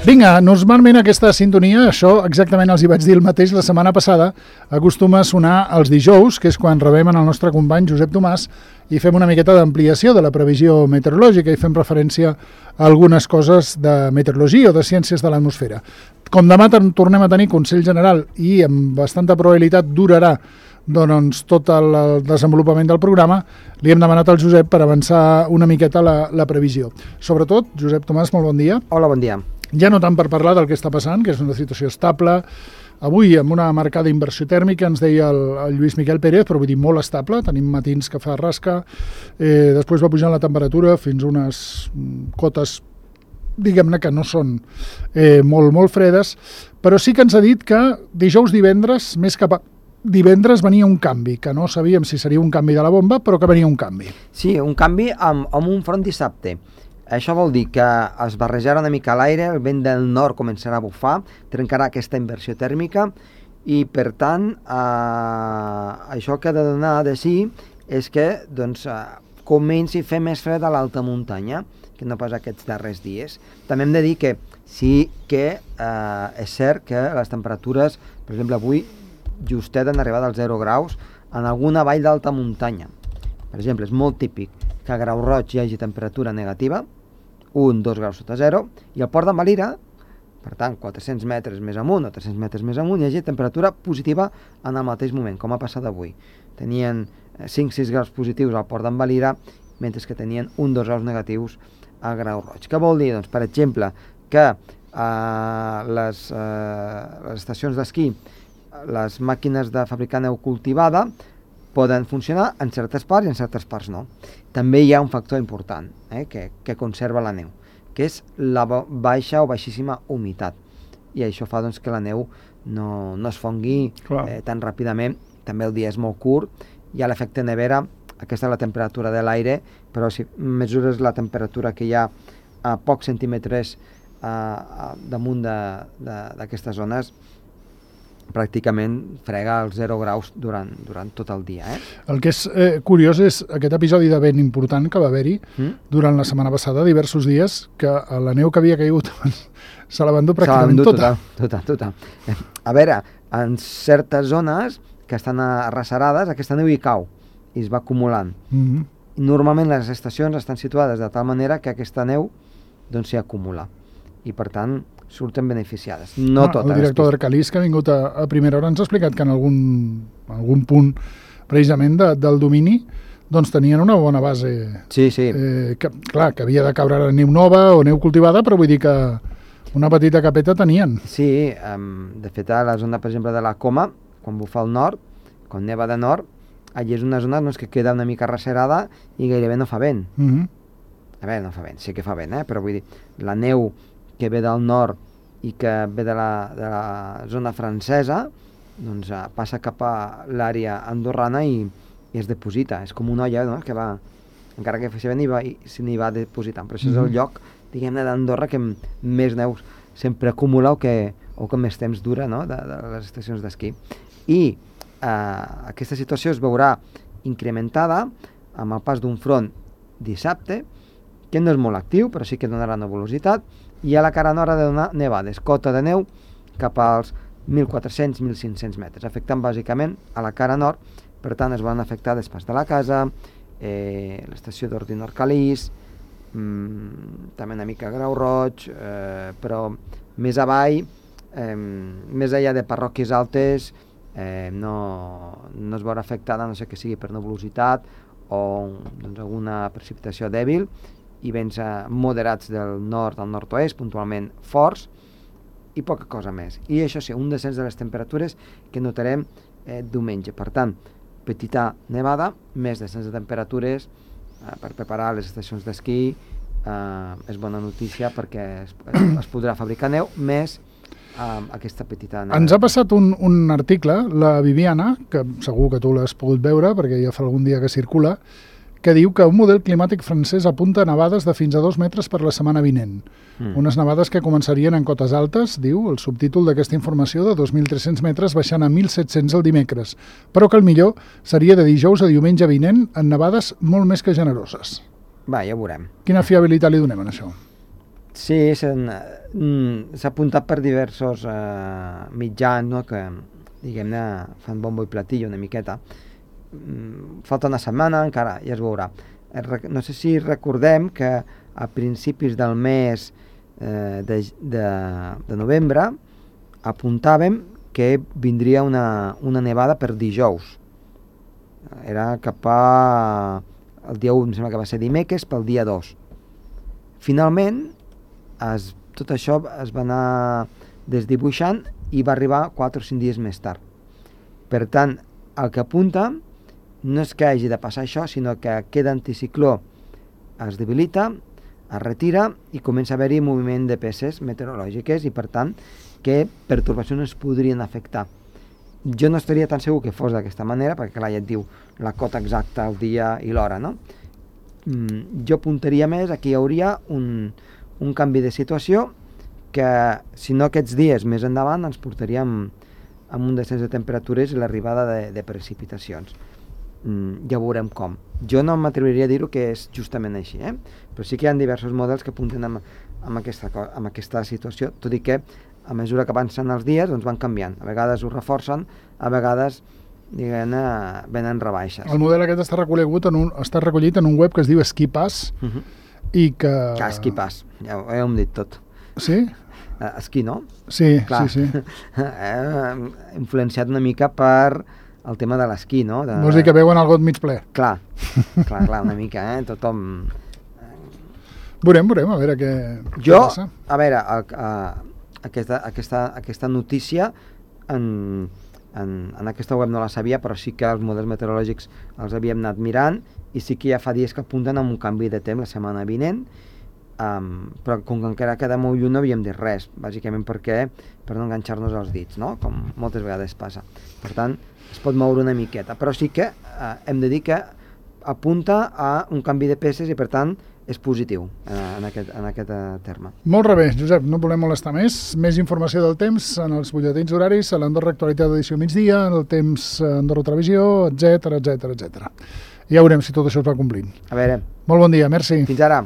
Vinga, normalment aquesta sintonia, això exactament els hi vaig dir el mateix la setmana passada, acostuma a sonar els dijous, que és quan rebem el nostre company Josep Tomàs i fem una miqueta d'ampliació de la previsió meteorològica i fem referència a algunes coses de meteorologia o de ciències de l'atmosfera. Com demà tornem a tenir Consell General i amb bastanta probabilitat durarà doncs, tot el desenvolupament del programa, li hem demanat al Josep per avançar una miqueta la previsió. Sobretot, Josep Tomàs, molt bon dia. Hola, bon dia. Ja no tant per parlar del que està passant, que és una situació estable, avui amb una marcada inversió tèrmica, ens deia el Lluís Miquel Pérez, però vull dir molt estable, tenim matins que fa rasca, després va pujant la temperatura fins a unes cotes, diguem-ne que no són molt fredes, però sí que ens ha dit que dijous, divendres, més cap a divendres venia un canvi, que no sabíem si seria un canvi de la bomba, però que venia un canvi. Sí, un canvi amb un front dissabte. Això vol dir que es barrejarà una mica l'aire, el vent del nord començarà a bufar, trencarà aquesta inversió tèrmica i, per tant, això que ha de donar de sí és que comenci a fer més fred a l'alta muntanya, que no pas aquests darrers dies. També hem de dir que sí que és cert que les temperatures, per exemple, avui justet han arribat als 0 graus en alguna vall d'alta muntanya. Per exemple, és molt típic que a Grau Roig hi hagi temperatura negativa, 1-2 graus sota 0, i al Port d'en Valira, per tant, 400 metres més amunt o 300 metres més amunt, hi hagi temperatura positiva en el mateix moment, com ha passat avui. Tenien 5-6 graus positius al Port d'en Valira, mentre que tenien 1-2 graus negatius a Grau Roig. Què vol dir? Doncs, per exemple, que les estacions d'esquí, les màquines de fabricar neu cultivada, poden funcionar en certes parts i en certes parts no. També hi ha un factor important que conserva la neu, que és la baixa o baixíssima humitat. I això fa doncs, que la neu no es fongui tan ràpidament. També el dia és molt curt, hi ha l'efecte nevera, aquesta és la temperatura de l'aire, però si mesures la temperatura que hi ha a pocs centímetres damunt d'aquestes zones, pràcticament frega els 0 graus durant tot el dia. El que és curiós és aquest episodi de vent important que va haver-hi durant la setmana passada, diversos dies, que la neu que havia caigut se la va endur pràcticament tota. Total. A veure, en certes zones que estan arrecerades, aquesta neu hi cau i es va acumulant. Normalment les estacions estan situades de tal manera que aquesta neu s'hi acumula i, per tant, surten beneficiades. No totes. El director d'Arcalís, que ha vingut a primera hora, ens ha explicat que en algun punt precisament del domini doncs tenien una bona base. Sí. Que havia de caure neu nova o neu cultivada, però vull dir que una petita capeta tenien. Sí, de fet a la zona, per exemple, de la Coma, quan bufa al nord, quan neva de nord, allí és una zona que queda una mica recerada i gairebé no fa vent. A veure, no fa vent, sí que fa vent, però vull dir, la neu que ve del nord i que ve de la zona francesa, doncs passa cap a l'àrea andorrana i es deposita. És com una olla, no?, que va, encara que faci vent, s'hi va depositant. Però això és el lloc, diguem-ne, d'Andorra que més neu sempre acumula o que més temps dura, no?, de les estacions d'esquí. I aquesta situació es veurà incrementada amb el pas d'un front dissabte, que no és molt actiu, però sí que donarà nebulositat, i a la cara nord ha de donar nevades, cota de neu cap als 1.400-1.500 metres, afectant bàsicament a la cara nord. Per tant, es van afectar Despas de la Casa, l'estació d'Ordino Arcalís, també una mica Grau Roig, però més avall, més enllà de parròquies altes, no es veurà afectada, no sé que sigui per nebulositat o alguna precipitació dèbil, i vents moderats del nord al nord-oest, puntualment forts, i poca cosa més. I això sí, un descens de les temperatures que notarem diumenge. Per tant, petita nevada, més descens de temperatures per preparar les estacions d'esquí. És bona notícia perquè es podrà fabricar neu, més aquesta petita nevada. Ens ha passat un article, la Viviana, que segur que tu l'has pogut veure perquè ja fa algun dia que circula, que diu que un model climàtic francès apunta nevades de fins a 2 metres per la setmana vinent. Unes nevades que començarien en cotes altes, diu el subtítol d'aquesta informació, de 2.300 metres baixant a 1.700 el dimecres, però que el millor seria de dijous a diumenge vinent en nevades molt més que generoses. Va, ja ho veurem. Quina fiabilitat li donem en això? Sí, s'ha apuntat per diversos mitjans, no?, que, diguem-ne, fan bombo i platillo una miqueta. Falta una setmana, encara, ja es veurà. No sé si recordem que a principis del mes de novembre apuntàvem que vindria una nevada per dijous. Era cap el dia 1, em sembla que va ser dimecres, pel dia 2. Finalment, tot això es va anar desdibuixant i va arribar 4 o 5 dies més tard. Per tant, el que apunta no és que hagi de passar això, sinó que aquest anticicló es debilita, es retira i comença a haver-hi moviment de peces meteorològiques i, per tant, que pertorbacions es podrien afectar. Jo no estaria tan segur que fos d'aquesta manera, perquè clar, ja et diu la cota exacta, el dia i l'hora, no? Jo apuntaria més a que hi hauria un canvi de situació que, si no aquests dies més endavant, ens portaríem amb un descens de temperatures i l'arribada de precipitacions. Ja veurem com. Jo no m'atreviria a dir-ho que és justament així, però sí que hi ha diversos models que apunten amb aquesta situació, tot i que a mesura que avancen els dies doncs van canviant. A vegades ho reforcen, a vegades venen rebaixes. El model aquest està recollit en un web que es diu SkiPass i que... Clar, SkiPass, ja ho hem dit tot. Sí? Esquí, no? Sí, clar. Sí. Influenciat una mica per el tema de l'esquí, no? Vols dir que veuen el got mig ple? Clar, una mica, tothom... Veurem, a veure què passa. A veure, aquesta notícia en aquesta web no la sabia, però sí que els models meteorològics els havíem anat mirant i sí que ja fa dies que apunten amb un canvi de temps la setmana vinent, però com que encara queda molt lluny no havíem dit res, bàsicament per no enganxar-nos als dits, no? Com moltes vegades passa. Per tant, es pot moure una miqueta, però sí que hem de dir que apunta a un canvi de peces i per tant és positiu en aquest terme. Molt bé, Josep, no volem molestar més. Més informació del temps en els butlletins horaris, a l'Andorra Actualitat d'edició migdia, en el temps Andorra Televisió, etc. Ja veurem si tot això es va complint. A veure. Molt bon dia, merci. Fins ara.